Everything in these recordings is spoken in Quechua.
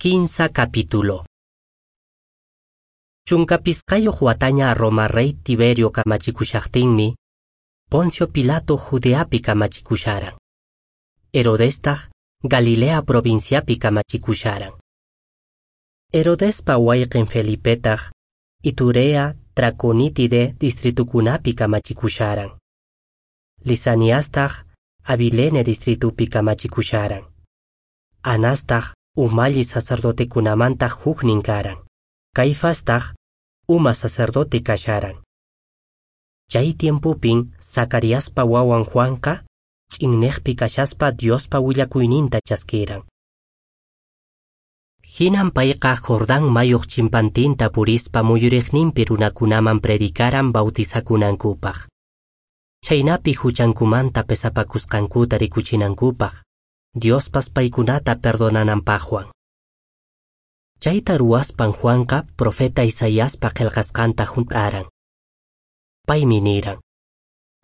Kinsa capítulo. 15 wataña Roma rey Tiberio kamachikushaqtinmi, Poncio Pilato Judeapi kamachikusharan. Herodestaq Galilea provinciapi kamachikusharan. Herodespa wayqin Felipetaq Iturea Traconítide distritukunapi kamachikusharan. Lisaniastaq Abilene distritupi kamachikusharan. Anastaq umalli sacerdotekunamanta huknin karan. Caifastaq uma sacerdote kasharan. Chay tiempupin Zacariaspa wawan Juanqa ch'inneqpi kashaspa Diospa willakuyninta chaskiran. Hinan payqa Jordán mayuq chimpantinta purispa muyuriqninpi runakunaman predicaran bautizakunankupaq. Chaynapi huchankumanta pesapakusqankuta rikuchinankupaq, Diospas paykunata perdonananpaqwan. Chayta ruwaspan Juanqa profeta Isaiaspa qillqasqanta hunt'aran. Paymi niran: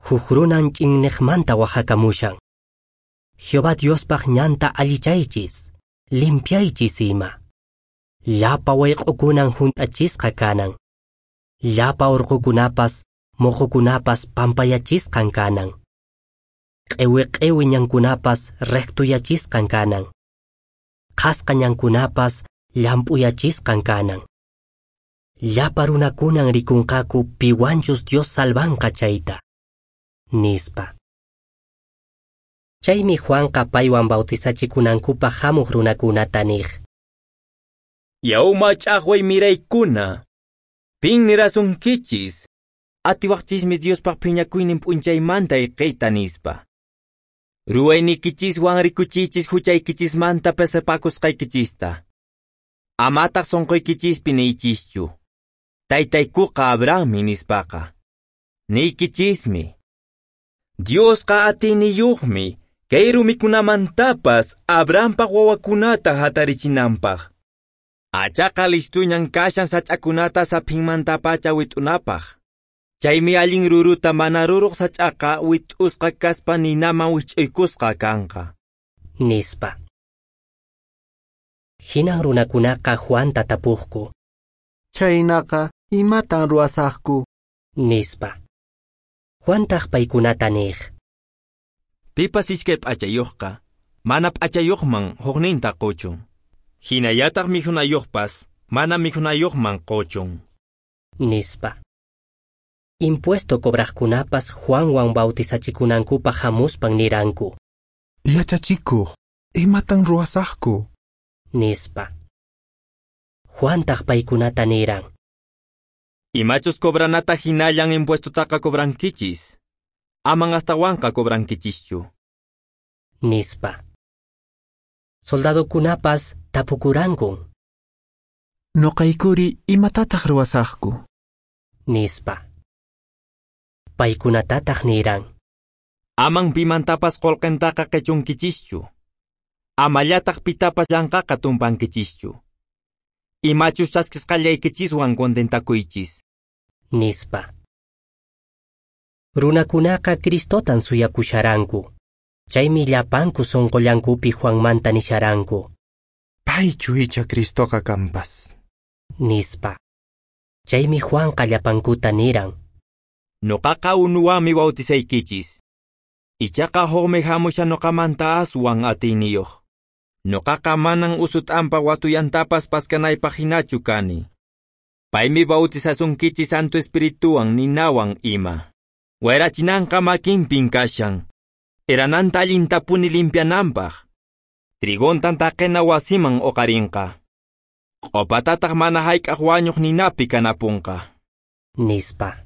Huk runan ch'inneqmanta waqhakamushan. Jehová Diospaq ñanta allichaychis, limpiaychis ima. Llapa wayq'ukunan hunt'achisqa kanan. Llapa urqukunapas, muqukunapas pampayachisqan kanan. Q'iwi q'iwi ñankunapas rectuyachisqan kanan. Qhasqa ñankunapas llamp'uyachisqan kanan. Llapa runakunan rikunqaku piwanchus Dios salvanqa chayta, nispa. Chaymi Juanqa paywan bautizachikunankupaq hamuq runakunata niq: Yaw mach'aqway miraykuna, pin nirasunkichis, atiwaqchismi Diospaq phiñakuynin p'unchaymanta ayqiyta nispa. Ruwayniykichiswan rikuchiychis huchaykichismanta pesapakusqaykichista. Amataq sunquykichispi niychischu, Taytaykuqa Abrahammi nispaqa. Niykichismi, Diosqa atiyniyuqmi kay rumikunamantapas Abrahampaq wawakunata hatarichinanpaq. Achaqa listuñan kashan sach'akunata saphinmantapacha wit'unapaq. Chaymi allin ruruta mana ruruq sach'aqa wit'usqa kaspa ninaman wich'uykusqa kanqa, nispa. Hinan runakunaqa Juanta tapuqku: Chaynaqa, imatan ruwasaqku? Nispa. Juantaq paykunata niq: Pipas iskay p'achayuqqa, mana p'achayuqman hukninta quchun. Hinallataq mikhunayuqpas, mana mikhunayuqman quchun, nispa. Impuesto cobraqkunapas Juanwan bautizachikunankupaq hamuspan niranku: Yachachikuq, imatan ruwasaqku? Nispa. Juantaq paykunata niran: Imachus cobranata hinallan impuestotaqa cobrankichis, aman astawanqa cobrankichischu, nispa. Soldadokunapas tapukurankun: Nuqaykuri imatataq ruwasaqku? Nispa. Paykunatataq niran: Aman pimantapas qullqintaqa qichunkichischu, amallataq pitapas llanqaqa tumpankichischu. Imachus chaskisqallaykichiswan contentakuychis, nispa. Runakunaqa Cristotan suyakusharanku. Chaymi llapanku sunqullankupi Juanmanta nisharanku: Paychu icha Cristoqa kanpas, nispa. Chaymi Juanqa llapankuta niran: Nuqaqa unuwanmi bautizaykichis. Ichaqa hukmi hamushan nuqamanta aswan atiyniyuq. Nuqaqa manan usut'anpa watuyantapas paskanaypaq hinachu kani. Paymi bautizasunkichis Santo Espirituwan ninawan ima. Wayrachinanqa makinpin kashan. Erananta allintapuni limpiananpaq. Trigontan taqena wasiman uqarinqa. Q'upatataq mana hayk'aq wañuq ninapi kanapunqa, nispa.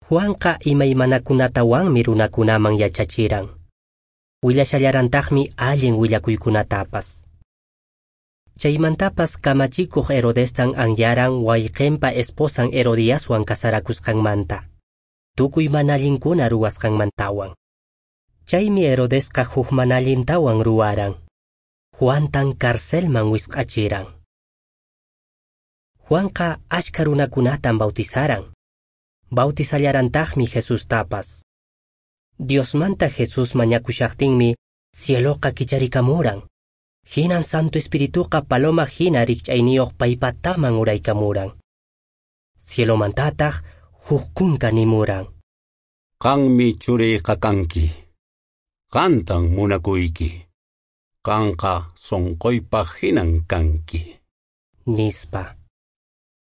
Juanqa imaymanakunatawanmi runakunaman yachachiran. Willashallarantaqmi allin willakuykunatapas. Chaymantapas kamachikuq Herodestan anyaran wayqinpa esposan Herodiaswan casarakusqanmanta, tukuy mana allinkuna ruwasqanmantawan. Chaymi Herodesqa huk mana allintawan ruwaran. Juantan carcelman wisq'achiran. Juanqa achka runakunatan bautizaran. Bautizallarantaqmi Jesustapas. Diosmanta Jesús mañakushaqtinmi cieloqa kicharikamuran. Hinan Santo Espirituqa paloma hina rikch'ayniyuq paypataman uraykamuran. Cielomantataq huk kunka nimuran: Qanmi churiyqa kanki. Qantan munakuyki. Qanqa sonqoypaq hinan kanki. Nispa.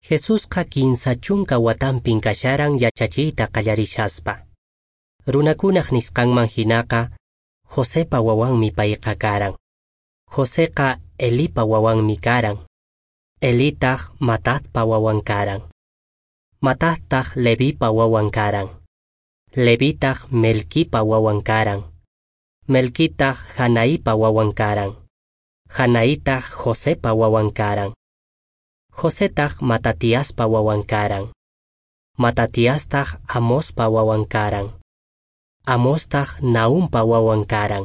Jesusqa 30 watanpin kasharan yachachiyta qallarishaspa. Runakunaq nisqanman hinaqa, Josepa wawanmi payqa karan. Joseqa Elipa wawanmi karan. Elitaq Matatpa wawan karan. Matattaq Levipa wawan karan. Levitaq Melquipa wawan karan. Melquitaq Janaipa wawan karan. Janaitaq Josepa wawan karan. Josetaq Matatiaspa wawan karan. Matatiastaq Amospa wawan karan. Amostaq Naumpa wawan karan.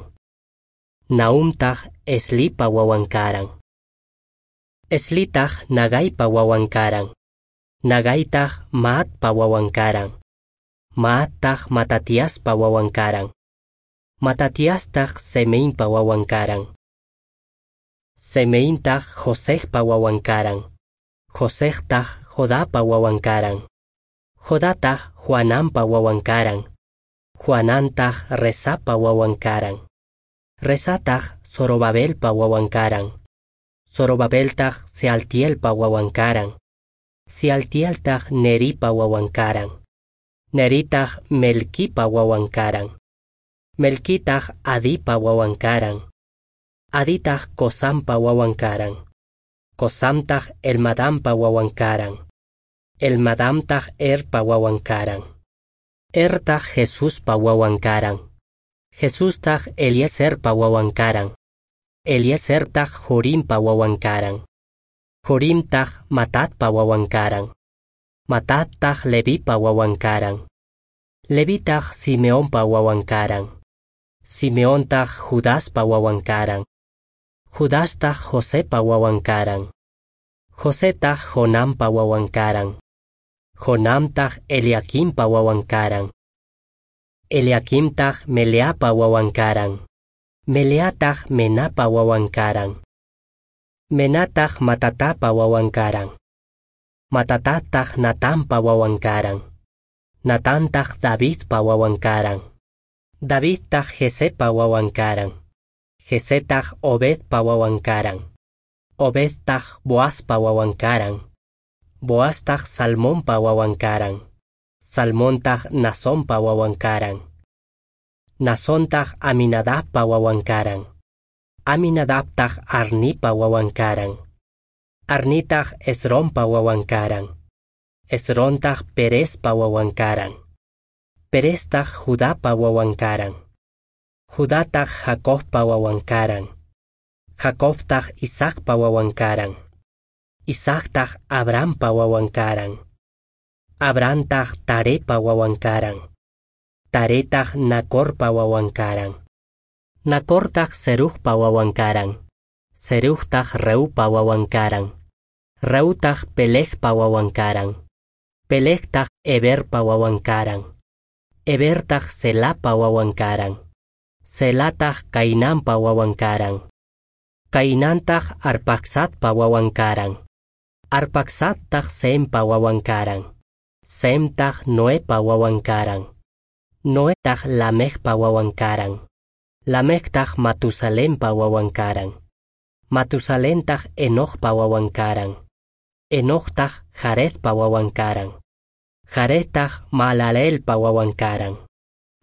Naumtaq Eslipa wawan karan. Eslitaq Nagaipa wawan karan. Nagaitaq Maatpa wawan karan. Maattaq Matatiaspa wawan karan. Matatiastaq Semeinpa wawan karan. Semeintaq Josejpa wawan karan. Josejtaq Jodapa wawan karan. Jodataq Juanampa wawan karan. Juanantaq Rezapa wawan karan. Rezataq Zorobabelpa wawan karan. Zorobabeltaq Sealtielpa wawan karan. Sealtieltaq Neripa wawan karan. Neritaq Melquipa wawan karan. Melquitaq Adipa wawan karan. Aditaq Cosampa wawan karan. Cosamtaq Elmadampa wawan karan. Elmadamtaq Erpa wawan karan. Ertaq Jesuspa wawan karan. Jesustaq Eliezerpa wawan karan. Eliezertaq Jorimpa wawan karan. Jorimtaq Matatpa wawan karan. Matattaq Levipa wawan karan. Levitaq Simeonpa wawan karan. Simeontaq Judaspa wawan karan. Judastaq Josepa wawan karan. Josetaq Jonampa wawan karan. Jonamtaq Eliaquimpa wawan karan. Eliaquimtaq Meleapa wawan karan. Meleataq Menapa wawan karan. Menataq Matatapa wawan karan. Matatataq Natanpa wawan karan. Natantaq Davidpa wawan karan. Davidtaq Jesepa wawan karan. Jesetaq Obedpa wawan karan. Obedtaq Boazpa wawan karan. Boaztaq Salmonpa wawan karan. Salmontaq Nasonpa wawan karan. Nasontaq Aminadabpa wawan karan. Aminadabtaq Arnipa wawan karan. Arnitaq Esronpa wawan karan. Esrontaq Perezpa wawan karan. Pereztaq Judapa wawan karan. Judataq Jacobpa wawan karan. Jacobtaq Isaacpa wawan karan. Isaactaq Abrahampa wawan karan. Abrahamtaq Tarepa wawan karan. Taretaq Nacorpa wawan karan. Nacortaq Serugpa wawan karan. Serugtaq Reupa wawan karan. Reutaq Pelegpa wawan karan. Pelegtaq Eberpa wawan karan. Ebertaq Selapa wawan karan. Selataq Cainanpa wawan karan. Cainantaq Arpaxadpa wawan karan. Arpaxadtaq Sempa wawan karan. Semtaq Noepa wawan karan. Noetaq Lamecpa wawan karan. Lamectaq Matusalempa wawan karan. Matusalentaq Enocpa wawan karan. Enoctaq Jaredpa wawan karan. Jaredtaq Malalelpa wawan karan.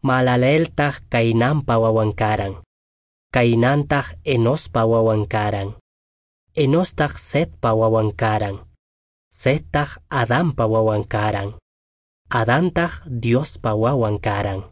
Malaleltaq Cainanpa wawan karan. Cainantaq Enospa wawan karan. Enostaq Setpa wawan karan. Settaq Adanpa wawan karan. Adantaq Diospa wawan karan.